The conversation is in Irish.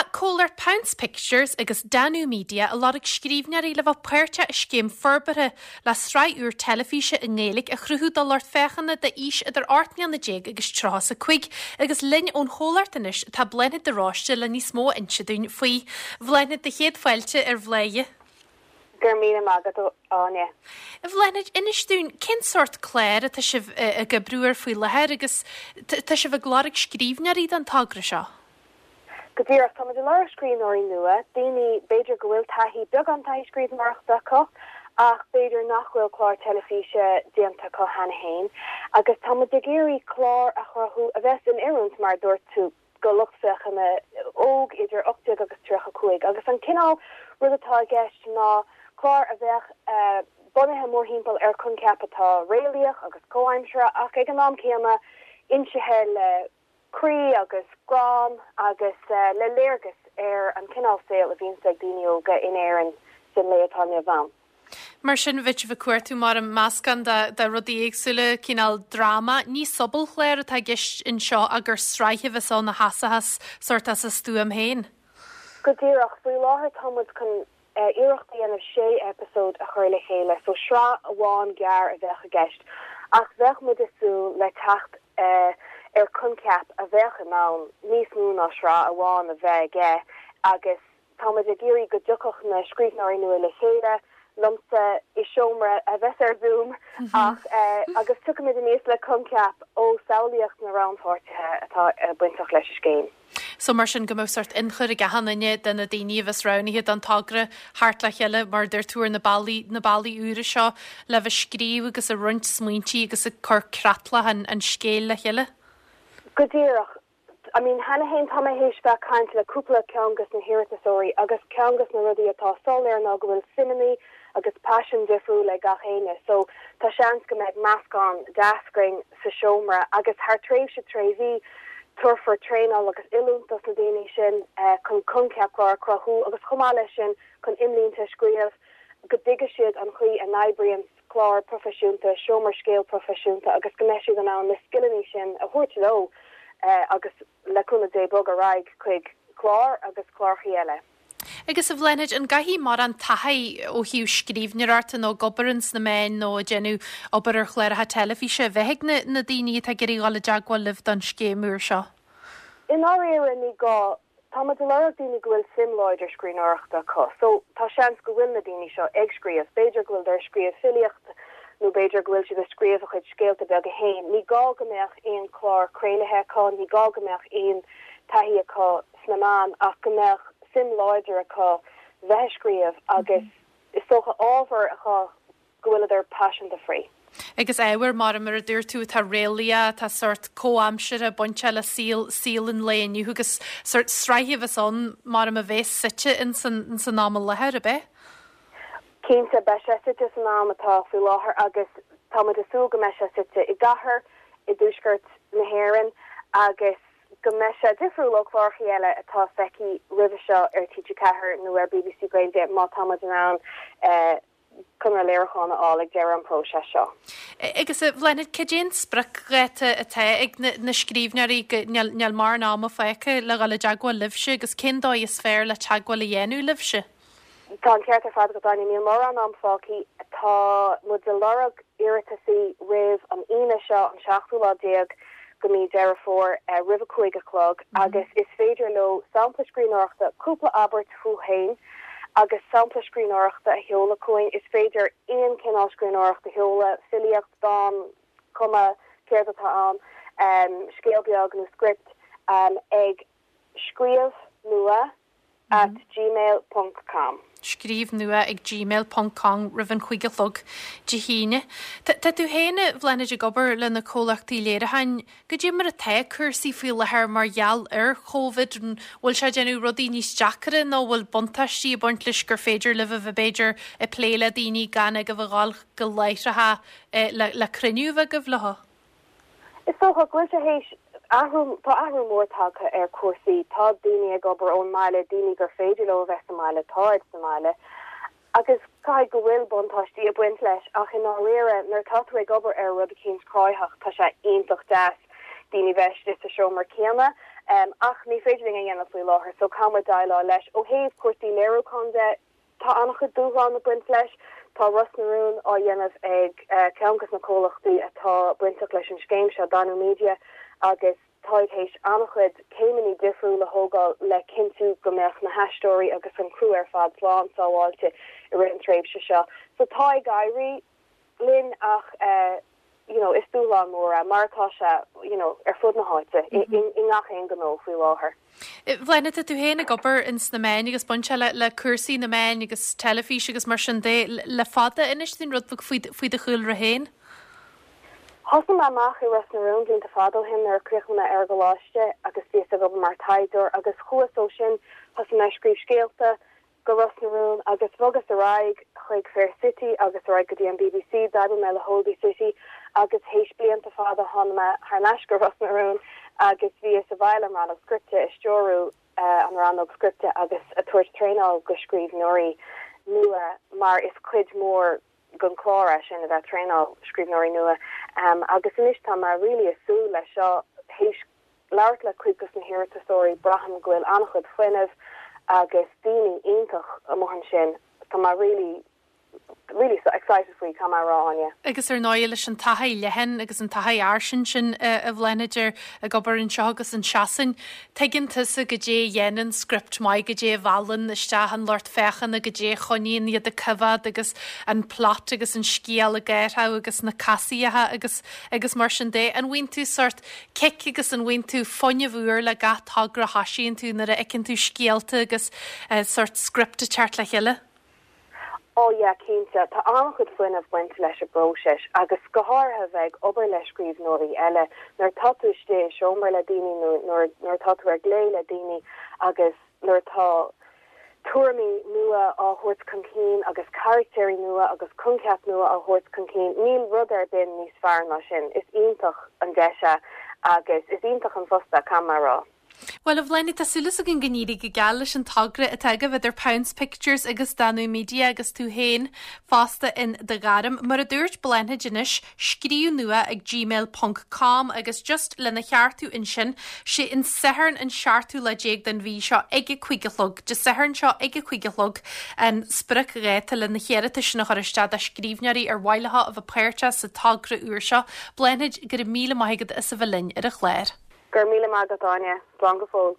Tá comhlacht Pounce Pictures agus Danú Media ag lorg scríbhneoirí le bheith páirteach i scéim forbartha le sraith úr teilifíse i nGaeilge a chruthú do lucht féachana d'aois idir 18 mbliana agus 35 agus linn ón chomhlacht anois tá Bláthnaid de Róiste le níos mó a inse dúinn faoi. Bhláthnaid, do chéad fáilte ar Bhladhaire. Go raibh míle maith agat, a Áine. A Bhláthnaid, inis dúinn, cén sórt clár atá sibh ag oibriú air faoi láthair agus tá sibh ag lorg scríbhneoirí don togra seo? Go díreach, táimid ag lorg scríbhneoirí nua, daoine b'fhéidir go bhfuil taithí, beagán taithí scríbhneoireachta acu ach b'fhéidir nach bhfuil clár teilifíse déanta acu cheana féin agus táimid ag iarraidh clár a chruthú a bheas in oiriúint, mar a dúirt tú, do lucht féachana óg idir 18 agus 35 agus an cineál rud atá i gceist ná clár a bheadh bunaithe mórthimpeall ar choincheap atá réalaíoch agus comhaimseartha ach ag an am céanna insithe le croí agus greann agus le léargas ar an cineál saoil a bhíonns ag daoine óga in Éirinn san lae atá inniu ann. Mar sin, bheadh sibh ag cuartú mar meascán de rudaí éagsúla, cineál dráma. Ní sobalchlár atá i gceist anseo ach gur sraith a bheas ann a sheasfas sórt as a stuaim féin. Go díreach. Faoi láthair tá muid chun iarracht a dhéanamh sé eipeasóid a chur le chéile, so sraith amháin gearr a bheadh i gceist, ach bheadh muid ag súil le teacht ar choincheap a bheadh in ann níos mó ná sraith amháin a bheith aige agus Táimid ag iarraidh go dtiocfadh na scríbhneoirí nua le chéile, liomsa, i seomra a bheas ar Zoom ach agus tiocfaimid aníos le coincheap ó samhlaíocht na rannpháirtithe atá bainteach leis an scéim. So mar sin go mbeadh sórt ionchur ag achan duine de na daoine a bheas roghnaithe don togra theacht le chéile mar a dúirt tú ar na bealaí, na bealaí úra seo le bheith ag scríobh agus ag roinnt smaointí agus ag cur creatlach an, an scéil le chéile. Go díreach. I mean, cheana fhéin tá mé théis bheith ag caint le cúpla ceann des na hiarratasóirí agus ceann des na rudaí atá soiléir ná go bhfuil suimeannaí agus paisean difriúil ag gach éinne so tá seans go mbeidh meascán deas againn sa seomra agus thar tréimhse tré mhí tabharfar traenáil agus oiliúint dos na daoine sin chun coincheap clár a chruthú agus chomh maith leis sin chun imlínte a scríobh go dtuigfidh siad an chaoi a n-oibríonn clár proifisiúnta, seomra scéil proifisiúnta agus go mbeidh siad in ann na scileanna sin a thabhairt leo agus le cúnamh Dé bogadh ar aghaidh chuig cláir agus clárachaí eile. Agus a Bhláthnaid, an gcaithfidh mórán taithí ó thaobh scríbhneoireachta nó ag obair ins na meáin nó ag déanamh obair ar chláracha teilifíse a bheith ag na na daoine atá ag iarraidh dhul i dteagmháil libh don scéim úr seo? I ndáiríre ní gá. Tá muid ag lorg daoine go bhfuil suim láidir scríbhneoireachta acu. So, tá seans go bhfuil na daoine seo ag scríobh. B'fhéidir go bhfuileadar ag scríobh filíocht nó b'fhéidir go bhfuil siad ag scríobh a chuid scéalta beaga féin. Ní gá go mbeadh aon chlár craolaithe acu, ní gá go mbeadh aon taithí acu sna meáin ach go mbeadh suim láidir acu bheith ag scríobh agus is dócha ábhar acu go bhfuileadar paiseanta faoi. Agus ábhar, mar mar a dúirt tú, atá réalaíoch, atá sórt comhaimseartha, bainteach le saol, saol an lae inniu agus sórt sraith a bheas ann mar a bheas suite ins an, ins an am i láthair, ab ea? Cinnte, beidh sé suite san am atá faoi láthair agus táimid ag súil go mbeidh sé suite i gcathair i dtuaisceart na hÉireann agus go mbeidh sé difriúil ó chlárachaí eile atá feicthe roimhe seo ar TG4 nó ar bbc Gaeilge má táimid in ann conradh léiriúcháin a fháil ag deireadh an próiseas seo. Agus a Bhláthnaid, cad é an spriocdháta atá ag na scríbhneoirí go níl níl mórán ama fágtha le dhul i dteagmháil libhse agus cén dóigh is fearr le teagmháil a dhéanamh libhse? Tá an ceart ar fad agat Áine, níl mórán am fágtha. Tá muid ag lorg iarratasaí roimh an Aoine seo, an seachtú lá déag de mí Deireadh Fómhair, roimh a 5 a chlog agus is féidir leo sampla scríbhneoireachta, cúpla abairt fúthu féin agus sampla scríbhneoireachta a sheoladh chugainn. Is féidir aon chineál scríbhneoireacht a sheoladh, filíocht, dán, cuma céard atá ann, scéal beag nó script, ag scríobh nua at gmail ponc com. Scríobh nua ag gmail ponc com roimh an chúig a chlog Dé hAoine. Tá tú féin, a Bhláthnaid, ag obair le na comhlachtaí léiriúcháin. Goidé mar atá cúrsaí faoi láthair mar gheall ar Chóvid? An bhfuil sé ag déanamh rudaí níos deacra nó bhfuil buntáistí ag baint leis gur féidir libh a bheith b'fhéidir ag plé le daoine gan agaibh a dhul go láithreacha le cruinniú a bheith agaibh leo? Is dócha go bhfuil sé théis athrú, tá athrú mór tagtha ar chúrsaí. Tá daoine ag obair ón mbaile, daoine gur féidir leo a bheith sa mbaile, táid sa mbaile. Agus caithfidh go bhfuil buntáistí ag baint leis ach i ndáiríre nuair atá tú ag obair ar rud eicínt cruthaitheach tá sé iontach deas daoine bheith istigh sa seomra céanna. Ach ní féidir linn a dhéanamh faoi láthair so caithfidh muid déileáil leis. Ó thaobh cúrsaí léiriúcháin de, tá an-chuid dúshlán ag baint leis. Tá Ros na Rún á dhéanamh ag ceann de na comhlachtaí atá bainteach leis an scéim seo, Danú Media, agus táid théis an-chuid céimeanna difriúla a thógáil le cinntiú go mbeadh na haisteoirí agus an criú ar fad slán sábháilte i rith an tréimhse seo. So tá ag éirí linn ach you know is dúshlán mór é mar atá sé you know ar fud na háite i ngach aon ghnó faoi láthair. Bláthnaid, tá tú féin ag obair ins na meáin agus baint le le cúrsaí na meáin agus teilifís agus mar sin de le fada. Inis dúinn rud beag faoi faoi do chúlra féin. Thosaigh mé amach i Ros na Rún blianta fada ó shin nuair a chríochnaigh mé ar an gcoláiste agus bhíos ag obair mar taighdeoir agus chuas ó sin, thosaigh mé ag scríobh scéalta go Ros na Rún agus bhogas ar aghaidh chuig Fair City agus ar aghaidh go dtí an bbc, d'oibrigh mé le Holby City agus théis blianta fada tháinig mé thar n-ais go Ros na Rún agus bhíos i bhfeighil an rannóg scripte, ag stiúrú an rannóg scripte agus ag tabhairt traenáil go scríbhneoirí nua mar is cuid mhór den chlár é sin, a bheith ag traenáil scríbhneoirí nua agus anois tá mé really ag súil leis seo. Théis labhairt le cuid dos na hiarratasóirí, braithim go bhfuil an-chuid fuinnimh agus daoine iontach amuigh ansin. Tá mé really, really excited faoi, caithfidh mé a rá, Áine. Agus ar ndóigh leis an taithí leathan agus an taithí fhairsing sin a Bhláthnaid ar ag obair anseo agus in Sasain, Tuigeann tusa goidé a dhéanann script maith, goidé a mheallann isteach an lucht féachana, goidé a choinníonn iad ag coimhéad agus an plot agus an scéal ag athrú agus na casaíocha agus agus mar sin de. An bhfaigheann tú sórt cic agus an bhfaigheann tú fuinneamh úr le gach togra a thoisíonn tú nuair a fheiceann tú scéalta agus sórt script ag teacht le chéile? Oh yeah, cinnte. Tá an-chuid fuinnimh bainte leis an bpróiseas agus go háirithe a bheith ag obair le scríbhneoirí eile. Nuair atá tú istigh i seomra le daoine nó nuair nuair atá tú ar glao le daoine agus nuair atá tuairimí nua á thabhairt chun cinn agus carachtéirí nua agus coincheap nua á thabhairt chun cinn, níl rud ar bith níos fearr ná sin. Is iontach an deis é agus is iontach an post é, caithfidh mé a rá. Bhuel, a Bhláthnaid, tá súil againn go n-éirí go geal leis an togra atá agaibh idir Pounce Pictures agus Danú Media agus tú féin fosta in do ghairm. Mar a dúirt Bláthnaid anois, scríobh nua ag gmail ponc com agus just lena cheartú ansin, sé an Satharn an seachtú lá déag den mhí seo ag a cuig a chlog, Dé Sathairn seo ag a cuig a chlog, an spriocdháta le na hiarratais sin a chur isteach do scríbhneoirí ar mhaith leo a bheith páirteach sa togra úr seo. Bláthnaid, go raibh míle maith agat as a bheith linn ar an chlár. Go raibh míle maith agat, Áine. Slán go fóill.